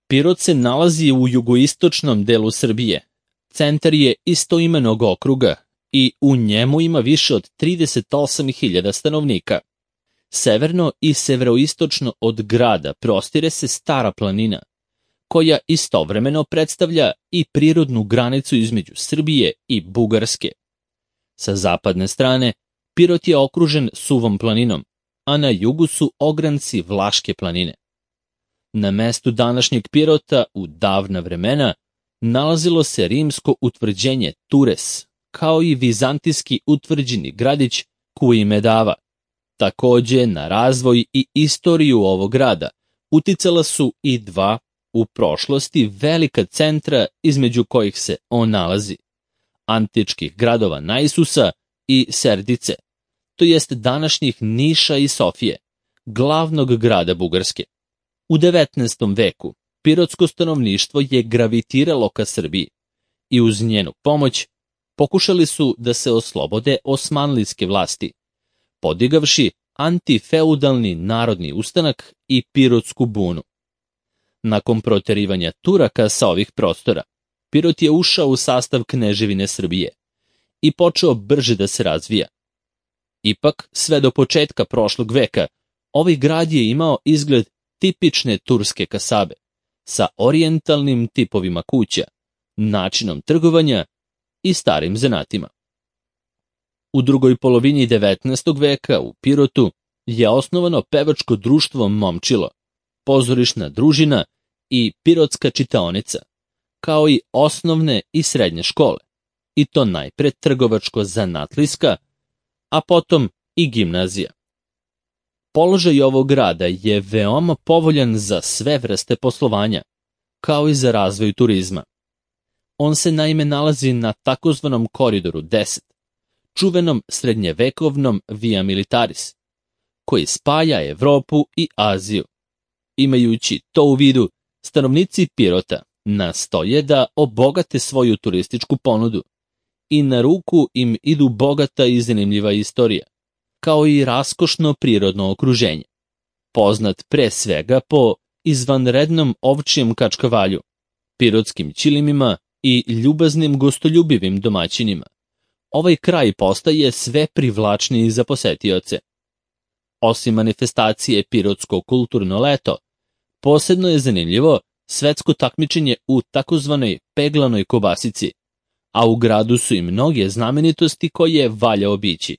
Pirot se nalazi u jugoistočnom delu Srbije. Centar je istoimenog okruga i u njemu ima više od 38.000 stanovnika. Severno i severoistočno od grada prostire se Stara planina, koja istovremeno predstavlja i prirodnu granicu između Srbije i Bugarske. Sa zapadne strane, Pirot je okružen Suvom planinom, a na jugu su ogranci Vlaške planine. Na mestu današnjeg Pirota u davna vremena nalazilo se rimsko utvrđenje Tures, kao i vizantijski utvrđeni gradić Kuimedava. Takođe, na razvoj i istoriju ovog grada uticala su i dva u prošlosti velika centra između kojih se on nalazi, antičkih gradova Naisusa i Serdice, to jest današnjih Niša i Sofije, glavnog grada Bugarske. U 19. veku pirotsko stanovništvo je gravitiralo ka Srbiji i uz njenu pomoć pokušali su da se oslobode osmanlijske vlasti, podigavši antifeudalni narodni ustanak i pirotsku bunu. Nakon proterivanja Turaka sa ovih prostora, Pirot je ušao u sastav Kneževine Srbije i počeo brže da se razvija. Ipak, sve do početka prošlog veka, ovaj grad je imao izgled tipične turske kasabe, sa orijentalnim tipovima kuća, načinom trgovanja i starim zanatima. U drugoj polovini 19. veka u Pirotu je osnovano pevačko društvo Momčilo, pozorišna družina i pirotska čitaonica, kao i osnovne i srednje škole, i to najpre trgovačko-zanatlijska, a potom i gimnazija. Položaj ovog grada je veoma povoljan za sve vrste poslovanja, kao i za razvoj turizma. On se naime nalazi na takozvanom koridoru 10, čuvenom srednjevekovnom Via Militaris, koji spaja Evropu i Aziju. Imajući to u vidu, stanovnici Pirota nastoje da obogate svoju turističku ponudu i na ruku im idu bogata i zanimljiva istorija, kao i raskošno prirodno okruženje, poznat pre svega po izvanrednom ovčijem kačkavalju, pirotskim ćilimima i ljubaznim gostoljubivim domaćinima. Ovaj kraj postaje sve privlačniji za posetioce. Osim manifestacije Pirotsko kulturno leto, posebno je zanimljivo svetsko takmičenje u takozvanoj peglanoj kobasici, a u gradu su i mnoge znamenitosti koje valja obići.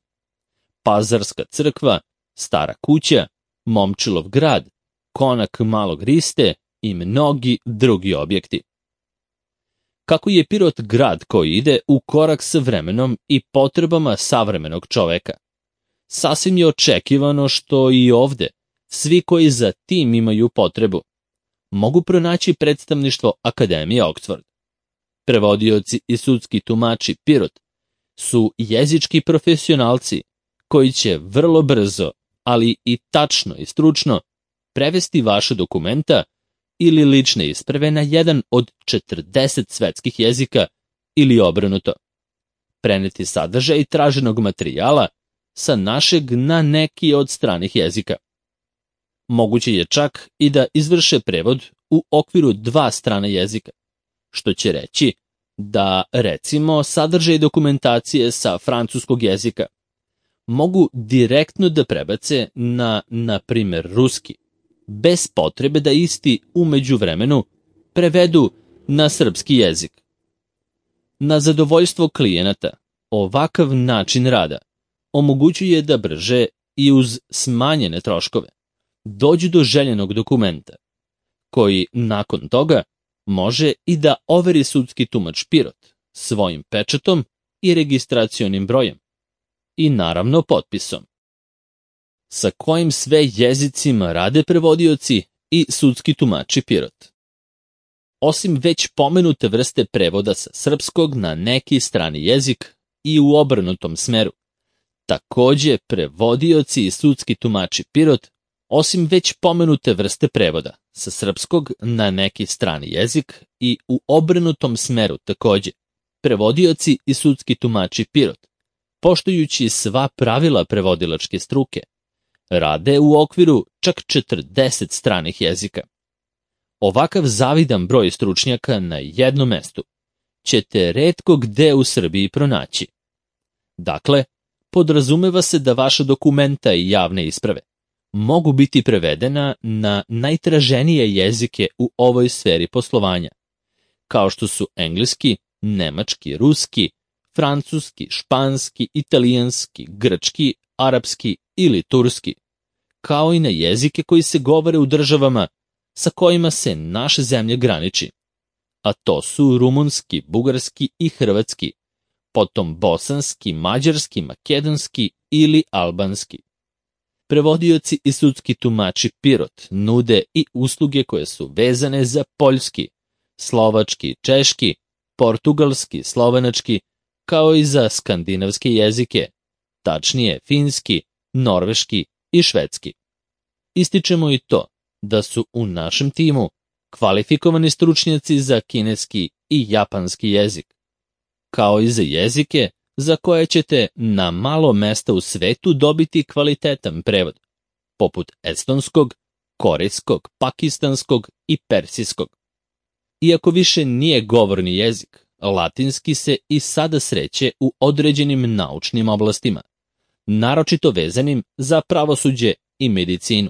Pazarska crkva, Stara kuća, Momčilov grad, konak Malog Riste i mnogi drugi objekti. Kako je Pirot grad koji ide u korak sa vremenom i potrebama savremenog čoveka, sasvim je očekivano što i ovde svi koji za tim imaju potrebu mogu pronaći predstavništvo Akademije Oxford. Prevodioci i sudski tumači Pirot su jezički profesionalci koji će vrlo brzo, ali i tačno i stručno prevesti vaše dokumenta ili lične isprave na jedan od 40 svetskih jezika ili obrnuto. Preneti sadržaj traženog materijala sa našeg na neki od stranih jezika. Moguće je čak i da izvrše prevod u okviru 2 strana jezika, što će reći da, recimo, sadržaj dokumentacije sa francuskog jezika mogu direktno da prebace na primjer, ruski, bez potrebe da isti u međuvremenu prevedu na srpski jezik. Na zadovoljstvo klijenata, ovakav način rada omogućuje da brže i uz smanjene troškove dođu do željenog dokumenta, koji nakon toga može i da overi sudski tumač Pirot svojim pečatom i registracionim brojem i naravno potpisom. Sa kojim sve jezicima rade prevodioci i sudski tumači Pirot? Osim već pomenute vrste prevoda sa srpskog na neki strani jezik i u obrnutom smeru, takođe prevodioci i sudski tumači Pirot, osim već pomenute vrste prevoda sa srpskog na neki strani jezik i u obrnutom smeru takođe, prevodioci i sudski tumači Pirot, poštujući sva pravila prevodilačke struke, rade u okviru čak 40 stranih jezika. Ovakav zavidan broj stručnjaka na jednom mestu ćete retko gde u Srbiji pronaći. Dakle, podrazumeva se da vaša dokumenta i javne isprave mogu biti prevedena na najtraženije jezike u ovoj sferi poslovanja, kao što su engleski, nemački, ruski, francuski, španski, italijanski, grčki, arapski ili turski, kao i na jezike koji se govore u državama sa kojima se naša zemlja graniči, a to su rumunski, bugarski i hrvatski, potom bosanski, mađarski, makedonski ili albanski. Prevodioci i sudski tumači Pirot nude i usluge koje su vezane za poljski, slovački, češki, portugalski, slovenački, kao i za skandinavske jezike, tačnije finski, norveški i švedski. Ističemo i to da su u našem timu kvalifikovani stručnjaci za kineski i japanski jezik, kao i za jezike za koje ćete na malo mesta u svetu dobiti kvalitetan prevod, poput estonskog, korejskog, pakistanskog i persijskog. Iako više nije govorni jezik, latinski se i sada sreće u određenim naučnim oblastima, naročito vezanim za pravosuđe i medicinu.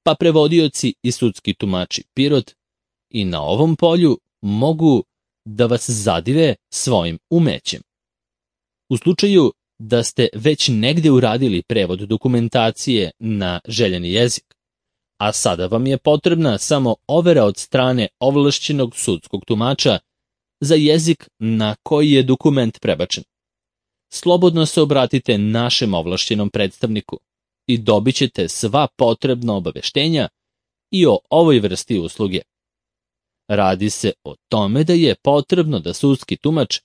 Pa prevodioci i sudski tumači Pirot i na ovom polju mogu da vas zadive svojim umećem. U slučaju da ste već negde uradili prevod dokumentacije na željeni jezik, a sada vam je potrebna samo overa od strane ovlašćenog sudskog tumača za jezik na koji je dokument prebačen, slobodno se obratite našem ovlašćenom predstavniku i dobit ćete sva potrebna obaveštenja i o ovoj vrsti usluge. Radi se o tome da je potrebno da sudski tumač,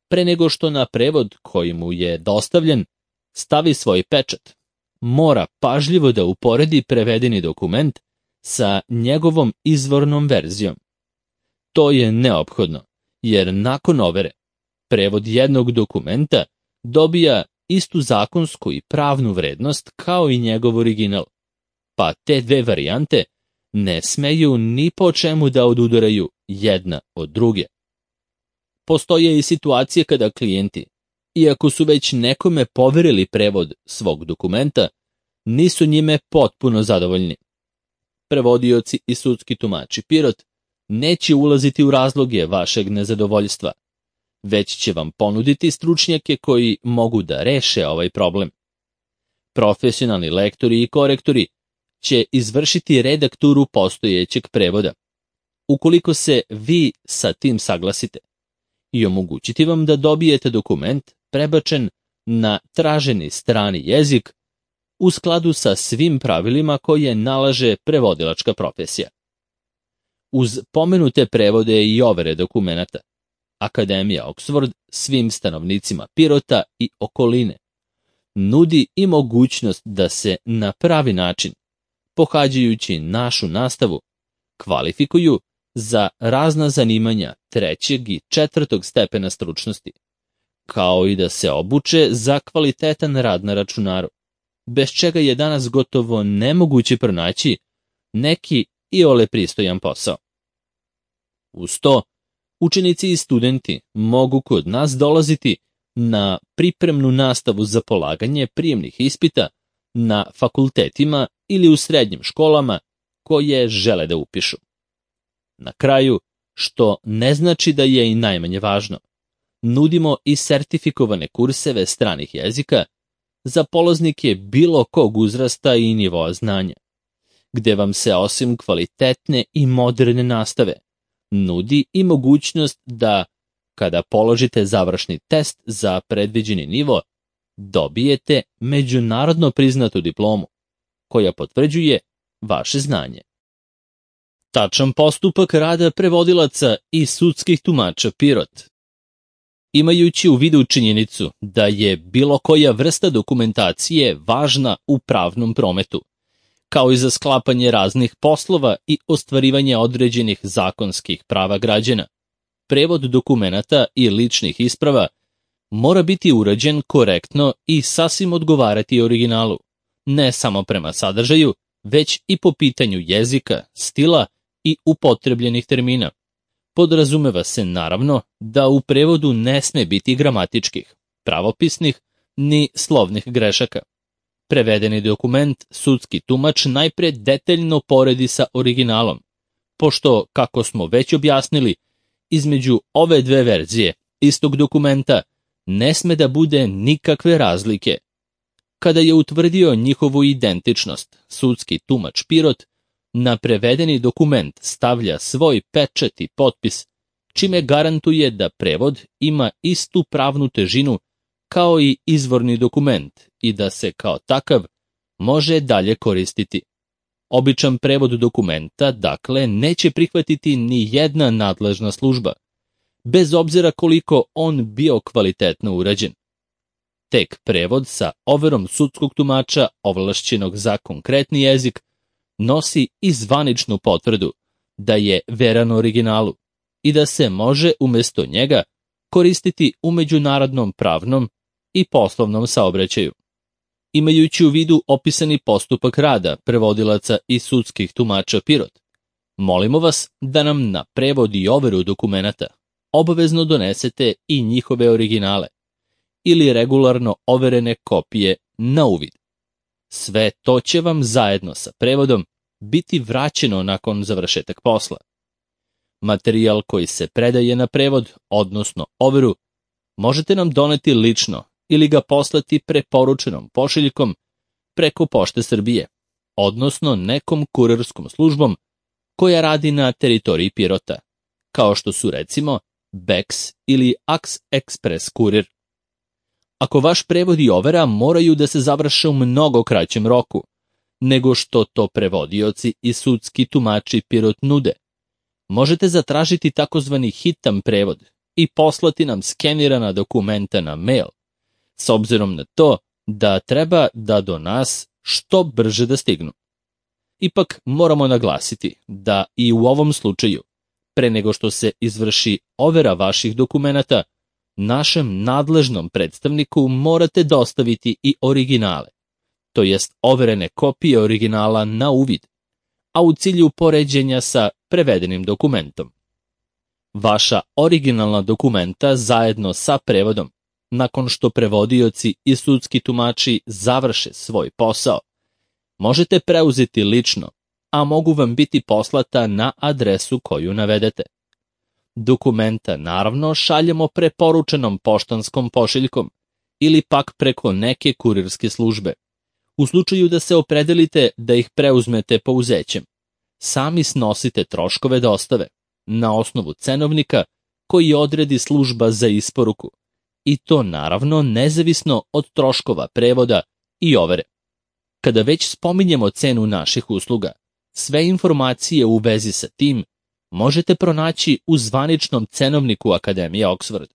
pre nego što na prevod koji mu je dostavljen stavi svoj pečat, mora pažljivo da uporedi prevedeni dokument sa njegovom izvornom verzijom. To je neophodno, jer nakon overe, prevod jednog dokumenta dobija istu zakonsku i pravnu vrednost kao i njegov original, pa te dve varijante ne smeju ni po čemu da odudaraju jedna od druge. Postoje i situacije kada klijenti, iako su već nekome poverili prevod svog dokumenta, nisu njime potpuno zadovoljni. Prevodioci i sudski tumači Pirot neće ulaziti u razloge vašeg nezadovoljstva, već će vam ponuditi stručnjake koji mogu da reše ovaj problem. Profesionalni lektori i korektori će izvršiti redakturu postojećeg prevoda, ukoliko se vi sa tim saglasite, i omogućiti vam da dobijete dokument prebačen na traženi strani jezik u skladu sa svim pravilima koje nalaže prevodilačka profesija. Uz pomenute prevode i overe dokumenata, Akademija Oxford svim stanovnicima Pirota i okoline nudi i mogućnost da se na pravi način, pohađajući našu nastavu, kvalifikuju za razna zanimanja 3. i 4. stepena stručnosti, kao i da se obuče za kvalitetan rad na računaru, bez čega je danas gotovo nemoguće pronaći neki iole pristojan posao. Uz to, učenici i studenti mogu kod nas dolaziti na pripremnu nastavu za polaganje prijemnih ispita na fakultetima ili u srednjim školama koje žele da upišu. Na kraju, što ne znači da je i najmanje važno, nudimo i sertifikovane kurseve stranih jezika za polaznike bilo kog uzrasta i nivoa znanja, gde vam se osim kvalitetne i moderne nastave nudi i mogućnost da, kada položite završni test za predviđeni nivo, dobijete međunarodno priznatu diplomu, koja potvrđuje vaše znanje. Tačan postupak rada prevodilaca i sudskih tumača Pirot. Imajući u vidu činjenicu da je bilo koja vrsta dokumentacije važna u pravnom prometu, kao i za sklapanje raznih poslova i ostvarivanje određenih zakonskih prava građana, prevod dokumenata i ličnih isprava mora biti urađen korektno i sasvim odgovarati originalu, ne samo prema sadržaju, već i po pitanju jezika, stila i upotrebljenih termina. Podrazumeva se naravno da u prevodu ne sme biti gramatičkih, pravopisnih ni slovnih grešaka. Prevedeni dokument sudski tumač najpre detaljno poredi sa originalom, pošto, kako smo već objasnili, između ove dve verzije istog dokumenta ne sme da bude nikakve razlike. Kada je utvrdio njihovu identičnost, sudski tumač Pirot na prevedeni dokument stavlja svoj pečat i potpis, čime garantuje da prevod ima istu pravnu težinu kao i izvorni dokument i da se kao takav može dalje koristiti. Običan prevod dokumenta, dakle, neće prihvatiti ni jedna nadležna služba, bez obzira koliko on bio kvalitetno urađen. Tek prevod sa overom sudskog tumača ovlašćenog za konkretni jezik nosi i zvaničnu potvrdu da je veran originalu i da se može umjesto njega koristiti u međunarodnom pravnom i poslovnom saobraćaju. Imajući u vidu opisani postupak rada prevodilaca i sudskih tumača Pirot, molimo vas da nam na prevod i overu dokumenata obavezno donesete i njihove originale ili regularno overene kopije na uvid. Sve to će vam zajedno sa prevodom biti vraćeno nakon završetak posla. Materijal koji se predaje na prevod, odnosno overu, možete nam doneti lično ili ga poslati preporučenom pošiljkom preko Pošte Srbije, odnosno nekom kurirskom službom koja radi na teritoriji Pirota, kao što su recimo Bex ili Ax Express kurir. Ako vaš prevod i overa moraju da se završe u mnogo kraćem roku, nego što to prevodioci i sudski tumači Pirot nude, možete zatražiti takozvani hitan prevod i poslati nam skenirana dokumenta na mail, s obzirom na to da treba da do nas što brže da stignu. Ipak moramo naglasiti da i u ovom slučaju, pre nego što se izvrši overa vaših dokumenata, našem nadležnom predstavniku morate dostaviti i originale, to jest overene kopije originala na uvid, a u cilju poređenja sa prevedenim dokumentom. Vaša originalna dokumenta zajedno sa prevodom, nakon što prevodioci i sudski tumači završe svoj posao, možete preuzeti lično, a mogu vam biti poslata na adresu koju navedete. Dokumenta naravno šaljemo preporučenom poštanskom pošiljkom ili pak preko neke kurirske službe. U slučaju da se opredelite da ih preuzmete pouzećem, sami snosite troškove dostave na osnovu cenovnika koji odredi služba za isporuku, i to naravno nezavisno od troškova prevoda i overe. Kada već spominjemo cenu naših usluga, sve informacije u vezi sa tim možete pronaći u zvaničnom cenovniku Akademije Oxford,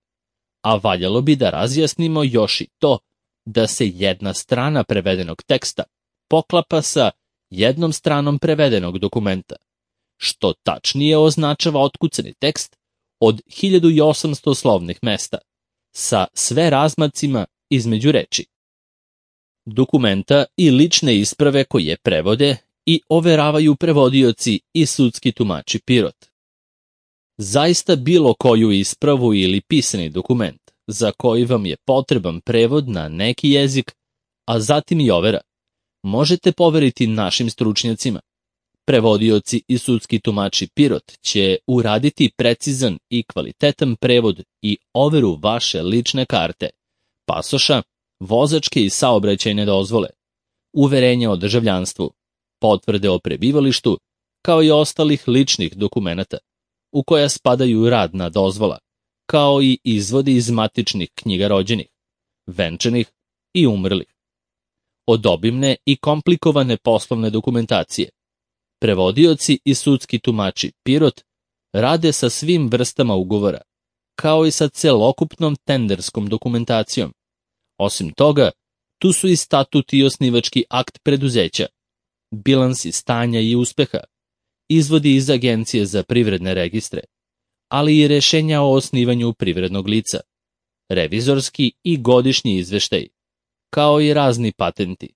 a valjalo bi da razjasnimo još i to da se jedna strana prevedenog teksta poklapa sa jednom stranom prevedenog dokumenta, što tačnije označava otkucani tekst od 1800 slovnih mesta, sa sve razmacima između reči. Dokumenta i lične isprave koje prevode i overavaju prevodioci i sudski tumači Pirot. Zaista bilo koju ispravu ili pisani dokument za koji vam je potreban prevod na neki jezik, a zatim i overa, možete poveriti našim stručnjacima. Prevodioci i sudski tumači Pirot će uraditi precizan i kvalitetan prevod i overu vaše lične karte, pasoša, vozačke i saobraćajne dozvole, uverenja o državljanstvu, potvrde o prebivalištu, kao i ostalih ličnih dokumenata, u koja spadaju radna dozvola, kao i izvodi iz matičnih knjiga rođenih, venčanih i umrlih. Od obimne i komplikovane poslovne dokumentacije, prevodioci i sudski tumači Pirot rade sa svim vrstama ugovora, kao i sa celokupnom tenderskom dokumentacijom. Osim toga, tu su i statut i osnivački akt preduzeća, bilansi stanja i uspeha, izvodi iz Agencije za privredne registre, ali i rešenja o osnivanju privrednog lica, revizorski i godišnji izveštaj, kao i razni patenti,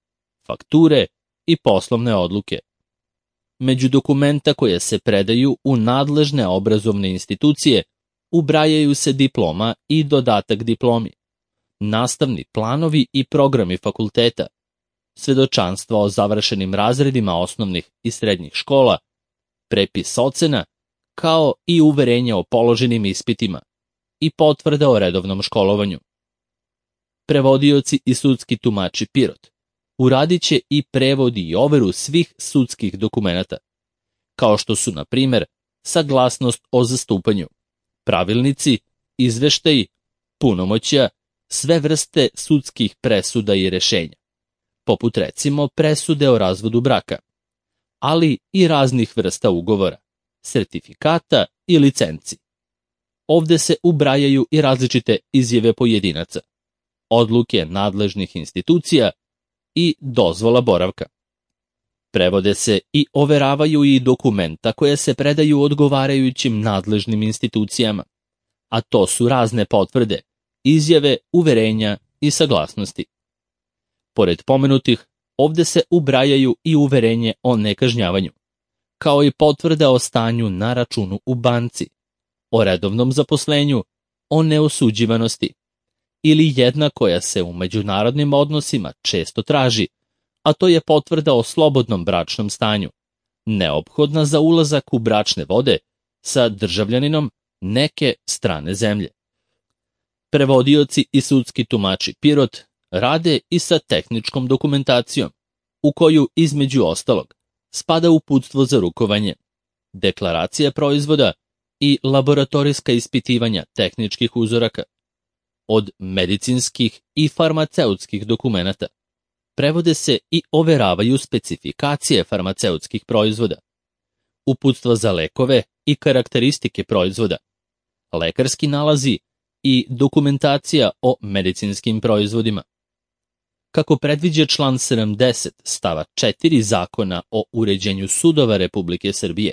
fakture i poslovne odluke. Među dokumenta koja se predaju u nadležne obrazovne institucije ubrajaju se diploma i dodatak diplomi, nastavni planovi i programi fakulteta, svedočanstva o završenim razredima osnovnih i srednjih škola, prepis ocena, kao i uverenje o položenim ispitima i potvrda o redovnom školovanju. Prevodioci i sudski tumači Pirot uradit će i prevod i overu svih sudskih dokumenata, kao što su, na primjer, saglasnost o zastupanju, pravilnici, izveštaji, punomoćja, sve vrste sudskih presuda i rešenja, poput recimo presude o razvodu braka, ali i raznih vrsta ugovora, sertifikata i licenci. Ovde se ubrajaju i različite izjave pojedinaca, odluke nadležnih institucija i dozvola boravka. Prevode se i overavaju i dokumenta koje se predaju odgovarajućim nadležnim institucijama, a to su razne potvrde, izjave, uverenja i saglasnosti. Pored pomenutih, ovde se ubrajaju i uverenje o nekažnjavanju, kao i potvrda o stanju na računu u banci, o redovnom zaposlenju, o neosuđivanosti, ili jedna koja se u međunarodnim odnosima često traži, a to je potvrda o slobodnom bračnom stanju, neophodna za ulazak u bračne vode sa državljaninom neke strane zemlje. Prevodioci i sudski tumači Pirot rade i sa tehničkom dokumentacijom, u koju, između ostalog, spada uputstvo za rukovanje, deklaracija proizvoda i laboratorijska ispitivanja tehničkih uzoraka. Od medicinskih i farmaceutskih dokumenata prevode se i overavaju specifikacije farmaceutskih proizvoda, uputstva za lekove i karakteristike proizvoda, lekarski nalazi i dokumentacija o medicinskim proizvodima. Kako predviđa član 70 stava 4 Zakona o uređenju sudova Republike Srbije,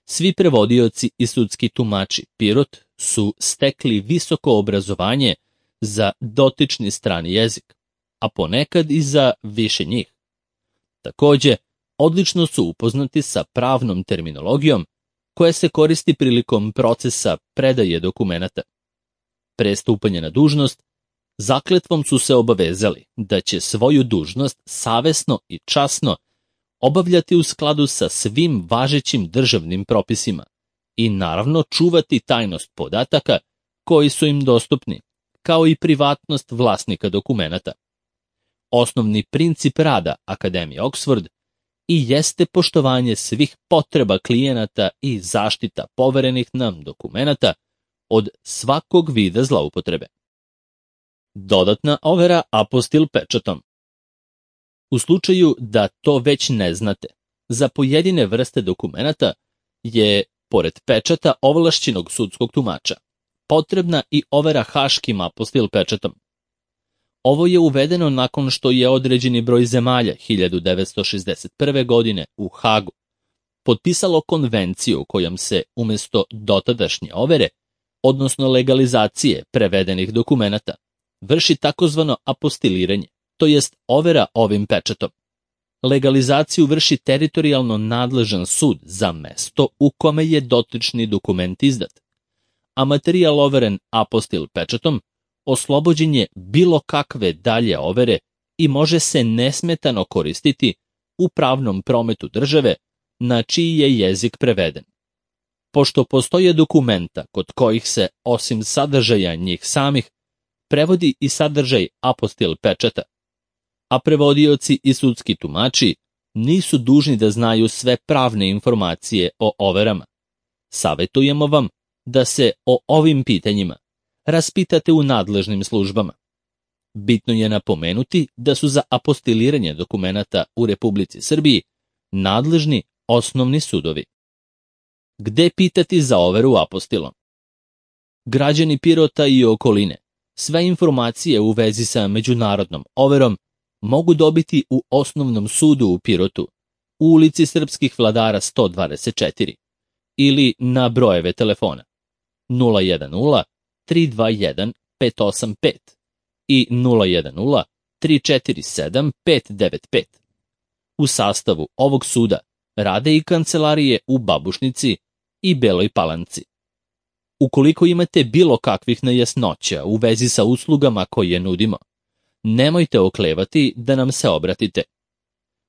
svi prevodioci i sudski tumači Pirot su stekli visoko obrazovanje za dotični strani jezik, a ponekad i za više njih. Takođe, odlično su upoznati sa pravnom terminologijom koja se koristi prilikom procesa predaje dokumenata. Pre stupanja na dužnost, zakletvom su se obavezali da će svoju dužnost savesno i časno obavljati u skladu sa svim važećim državnim propisima i naravno čuvati tajnost podataka koji su im dostupni, kao i privatnost vlasnika dokumenata. Osnovni princip rada Akademije Oxford i jeste poštovanje svih potreba klijenata i zaštita poverenih nam dokumenata od svakog vida zloupotrebe. Dodatna overa apostil pečatom. U slučaju da to već ne znate, za pojedine vrste dokumenata je, pored pečata ovlašćenog sudskog tumača, potrebna i overa haškim apostil pečatom. Ovo je uvedeno nakon što je određeni broj zemalja 1961. godine u Hagu potpisalo konvenciju kojom se umesto dotadašnje overe, odnosno legalizacije prevedenih dokumenata, vrši takozvano apostiliranje, to jest overa ovim pečatom. Legalizaciju vrši teritorijalno nadležan sud za mesto u kome je dotični dokument izdat, a materijal overen apostil pečatom oslobođen je bilo kakve dalje overe i može se nesmetano koristiti u pravnom prometu države na čiji je jezik preveden. Pošto postoje dokumenta kod kojih se, osim sadržaja njih samih, prevodi i sadržaj apostil pečata, a prevodioci i sudski tumači nisu dužni da znaju sve pravne informacije o overama. Savetujemo vam da se o ovim pitanjima raspitate u nadležnim službama. Bitno je napomenuti da su za apostiliranje dokumenata u Republici Srbiji nadležni osnovni sudovi. Gde pitati za overu apostilom? Građani Pirota i okoline sve informacije u vezi sa međunarodnom overom mogu dobiti u osnovnom sudu u Pirotu, u ulici Srpskih vladara 124 ili na brojeve telefona 010 321 585 i 010 347 595. U sastavu ovog suda rade i kancelarije u Babušnici i Beloj Palanci. Ukoliko imate bilo kakvih nejasnoća u vezi sa uslugama koje nudimo, nemojte oklevati da nam se obratite.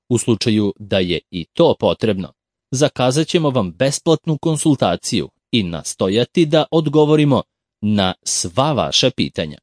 U slučaju da je i to potrebno, zakazat ćemo vam besplatnu konsultaciju i nastojati da odgovorimo na sva vaša pitanja.